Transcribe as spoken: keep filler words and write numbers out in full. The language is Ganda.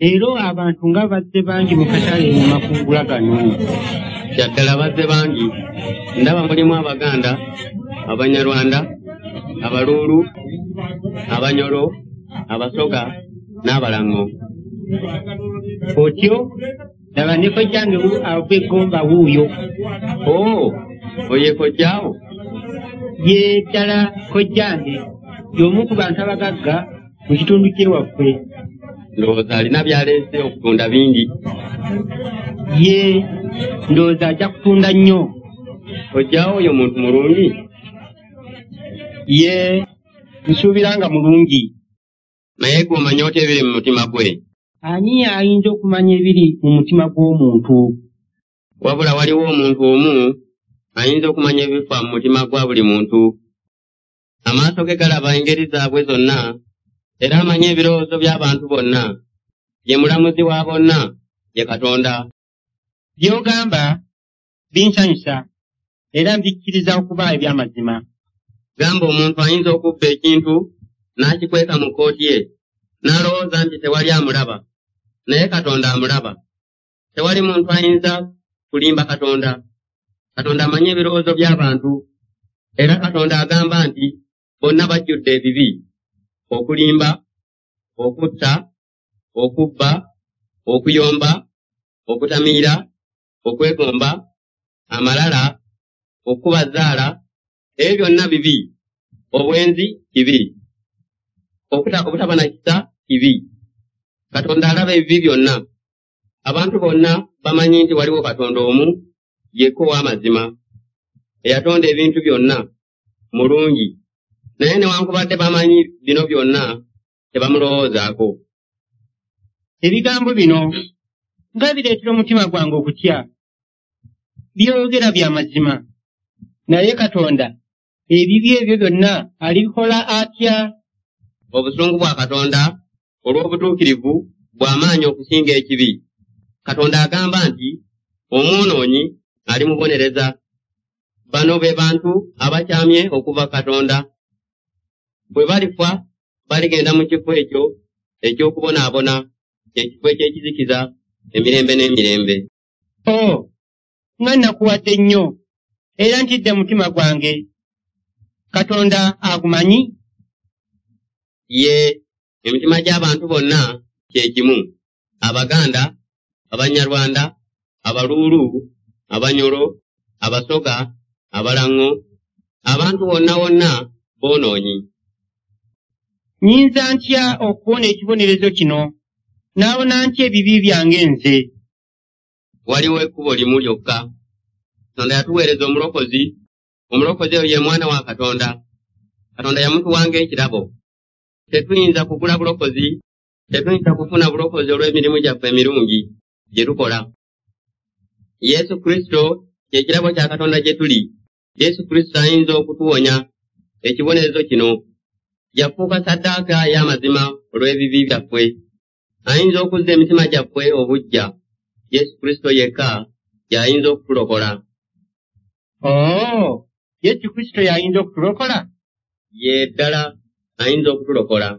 Leero abantu nga bazze bangi mu katale mu makungula gano. Kyaddala bazze bangi. Ndaba mulimu Abaganda, Abanyarwanda, Abaluulu, Abanyoro, Abasoga n'Abalango. Otyo laba ne kojjange ava e Ggomba wuuyo. Oo, oyo ye kojjaawo? Ye ddala kojjange, y'omu ku bantu abagagga mu kitundu ky'ewaffe. Ndowooza alina by'aleese okutunda bingi. Ye, ndowooza ajja kutunda nnyo. Kojjaawo oyo muntu mulungi? Ye, nsuubira nga mulungi. Naye ggwe omanyi otya ebiri mu mutima gwe? Ani ayinza okumanya ebiri mu mutima gw'omuntu? Wabula waliwo omuntu omu ayinza okumanya ebifa mu mutima gwa buli muntu. Amaaso ge galaba engeri zaabwe zonna, era amanyi ebirowoozo by'abantu bonna. Ye mulamuzi wa bonna, ye Katonda. By'ogamba binsanyusa era mbikkiriza okuba eby'amazima. Gamba omuntu ayinza okubba ekintu n'akikweka mu kkooti ye, n'alowooza nti tewali amulaba, naye Katonda amulaba. Tewali muntu ayinza kulimba Katonda. Katonda amanyi ebirowoozo by'abantu, era Katonda agamba nti bonna bajjudde ebibi: okulimba, okutta, okubba, okuyomba, okutamiira, okwegomba, amalala, okukuba zzaala, ebyo byonna bibi. Obwenzi kibi. Obutaba na kisa kibi. Katonda alaba ebibi byonna. Abantu bonna bamanyi nti waliwo Katonda omu yekka ow'amazima, eyatonda ebintu byonna, mulungi. Naye newankubadde bamanyi bino byonna, tebamulowoozaako. Ebigambo bino nga bireetera omutima gwange okutya. By'oyogera bya mazima. Naye Katonda ebibi ebyo byonna alibikola atya? Obusungu bwa Katonda olw'obutuukirivu bw'amaanyi okusinga ekibi. Katonda agamba nti omwonoonyi alimubonereza. Bano be bantu abakyamye okuva Katonda. Bwe balifa baligenda mu kifo ekyo eky'okubonaabona, ekifo eky'ekizikiza emirembe n'emirembe. Oo, nga nnakuwadde nnyo, era ntidde mutima gwange. Katonda agumanyi? Ye, emitima gy'abantu bonna kye kimu. Abaganda, Abanyarwanda, Abaluulu, Abanyoro, Abasoga, Abalango, abantu wonna wonna boonoonyi. Nnyinza ntya okuwona ekibonerezo kino? Naawona ntya ebibi byange nze? Waliwo ekkubo limu lyokka. Katonda yatuweereza omulokozi. Omulokozi oyo ye mwana wa Katonda. Katonda yamutuwa ng'ekirabo. Tetuyinza kugula bulokozi, tetuyinza kufuna bulokozi olw'emirimu gyaffe emirungi gye tukola. Yesu Kristo kye kirabo kya Katonda gye tuli. Yesu Kristo ayinza okutuwonya ekibonerezo kino. Yafuuka ssaddaaka ey'amazima olw'ebibi byaffe. Ayinza okuzza emitima gyaffe obuggya. Yesu Kristo yekka y'ayinza okutulokola. Oo, Yesu Kristo y'ayinza okutulokola? Ye ddala ayinza okutulokola.